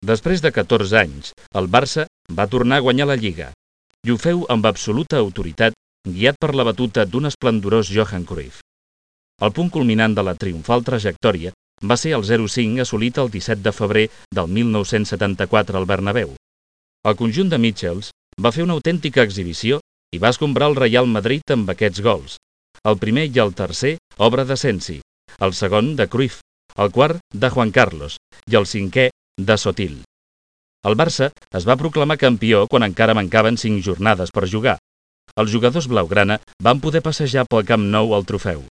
Després de 14 anys, el Barça va tornar a guanyar la Lliga, i ho feu amb absoluta autoritat, guiat per la batuta d'un esplendorós Johan Cruyff. El punt culminant de la triomfal trajectòria va ser el 0-5 assolit el 17 de febrer del 1974 al Bernabéu. El conjunt de Mitchells va fer una autèntica exhibició i va escombrar el Real Madrid amb aquests gols. El primer i el tercer, obra de Sensi, el segon de Cruyff, el quart de Juan Carlos i el cinquè de Sotil. El Barça es va proclamar campió quan encara mancaven 5 jornades per jugar. Els jugadors blaugrana van poder passejar pel Camp Nou el trofeu.